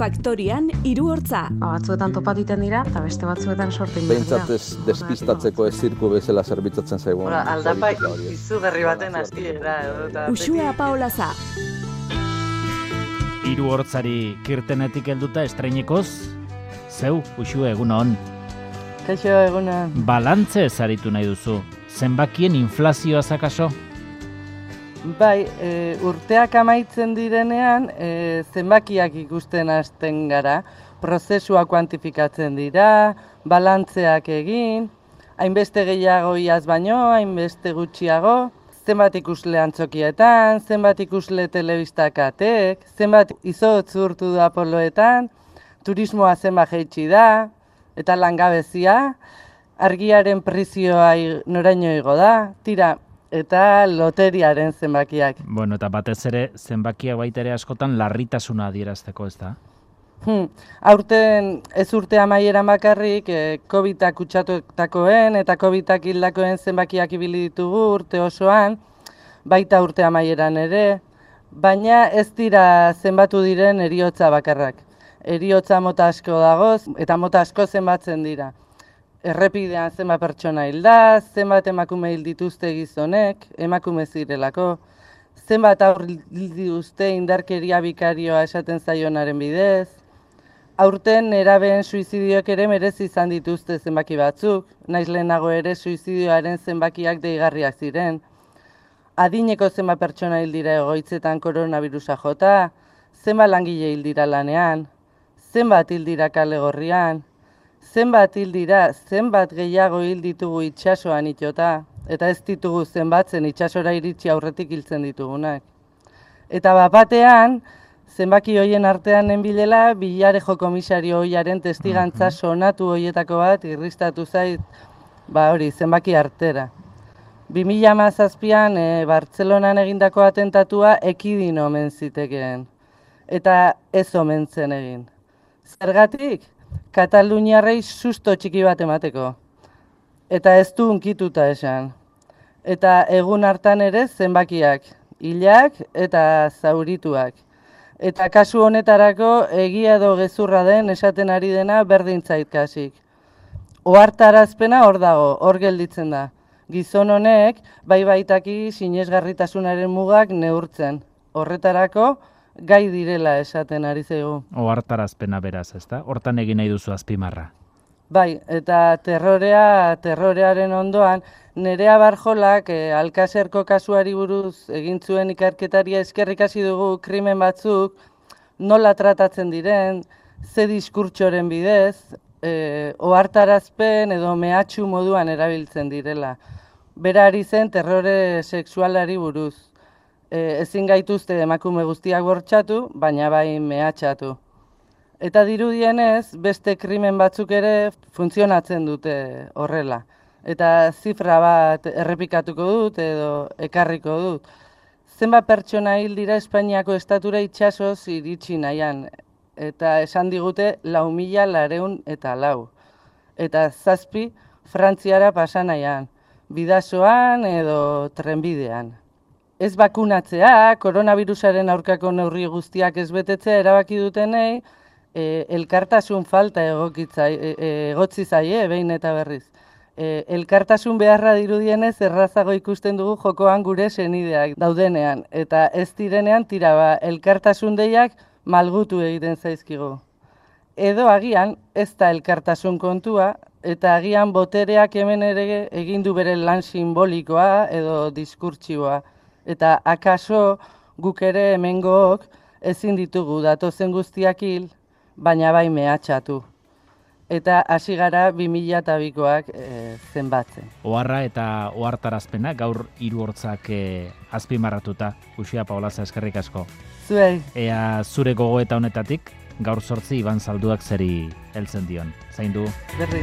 Faktorian hiru hortza. Batzuetan topatiten dira, eta beste batzuetan sortin dira. Behintzat ez despistatzeko ez zirku bezala zerbitzatzen zaigu. Aldapa izugarri baten hasiera. Uxue Paolaza. Hiru hortzari kirtenetik helduta estreinekoz, zeu, Uxue, egunon. Kaixo, egunon. Balantze ezaritu nahi duzu, zenbakien inflazioa zakaso? Bai, urteak amaitzen direnean, zenbakiak ikusten hasten gara, prozesua kuantifikatzen dira, balantzeak egin, hainbeste gehiago iaz baino, hainbeste gutxiago, zenbat ikusle antzokietan, zenbat ikusle telebistakatek, zenbat izotz urtu da poloetan, turismoa zenbat jaitsi da, eta langabezia, argiaren prezioa noraino igo da, tira, eta loteriaren zenbakiak. Bueno, eta batez ere, zenbakiak baita ere askotan larritasuna adierazteko, ez da? Aurten ez urte amaieran bakarrik, COVID-ak kutsatutakoen eta COVID-ak hildakoen zenbakiak ibili ditugu urte osoan, baita urte amaieran ere, baina ez dira zenbatu diren heriotza bakarrak. Heriotza mota asko dagoz eta mota asko zenbatzen dira. Errepidean zenbat pertsona hilda, zenbat emakume hil dituzte gizonek, emakume zirelako, zenbat aur hil dituzte indarkeria bikarioa esaten zaionaren bidez. Aurten nerabeen suizidioak ere merezi izan dituzte zenbaki batzuk, naiz lehenago ere suizidioaren zenbakiak deigarriak ziren. Adineko zenbat pertsona hil dira egoitzetan koronavirusa jota, zenbat langile hil dira lanean, zenbat hil dira kale gorrian, zenbat hil dira, zenbat gehiago hil ditugu itsasoan itxota, eta ez ditugu zenbatzen itsasora iritsi aurretik hiltzen ditugunak. Eta bapatean, zenbaki hoien artean nenbilela, Villarejo komisario hoiaren testigantza sonatu hoietako bat irristatu zait, zenbaki artera. 2017an Bartzelonan egindako atentatua ekidin omen zitekeen, eta ez omen zen egin. Zergatik, Kataluniarrei susto txiki bat emateko, eta ez du unkituta esan. Eta egun hartan ere zenbakiak, hilak eta zaurituak. Eta kasu honetarako egia edo gezurra den esaten ari dena berdin zait kasik. Ohartarazpena hor dago, hor gelditzen da. Gizon honek baitaki sinesgarritasunaren mugak neurtzen. Horretarako gai direla esaten ari zaigu. Ohartarazpena beraz, ezta? Hortan egin nahi duzu azpimarra. Bai, eta terrorearen ondoan, Nerea Barjolak Alkaserko kasuari buruz egin zuen ikerketaria eskerrik hasi dugu krimen batzuk, nola tratatzen diren, ze diskurtsoren bidez, ohartarazpen edo mehatxu moduan erabiltzen direla. Bera ari zen terrore sexualari buruz. Ezin gaituzte emakume guztiak bortxatu, baina bai mehatxatu. Eta dirudienez, beste krimen batzuk ere funtzionatzen dute horrela. Eta zifra bat errepikatuko dut edo ekarriko dut. Zenbat pertsona hil dira Espainiako estatura itsasoz iritsi nahian. Eta esan digute 4.404. Eta 7 Frantziara pasa nahian. Bidasoan edo trenbidean. Ez bakunatzea, koronavirusaren aurkako neurri guztiak ez betetzea erabaki dutenei, elkartasun falta egotzi zaie, behin eta berriz. Elkartasun beharra dirudienez errazago ikusten dugu jokoan gure senideak daudenean. Eta ez direnean tira elkartasun deiak malgutu egiten zaizkigu. Edo agian ez da elkartasun kontua, eta agian botereak hemen ere egin du bere lan simbolikoa edo diskurtsiboa. Eta akaso guk ere hemengook ezin ditugu datozen guztiak hil, baina bai mehatxatu. Eta hasi gara 2002koak zenbatzen. Oharra eta ohartarazpena gaur hiru hortzak azpimarratuta. Uxue Paolaza, eskerrik asko. Zuei. Ea zure gogoeta honetatik gaur 8 Iban Zalduak zeri heltzen dion. Zaindu. Berdin.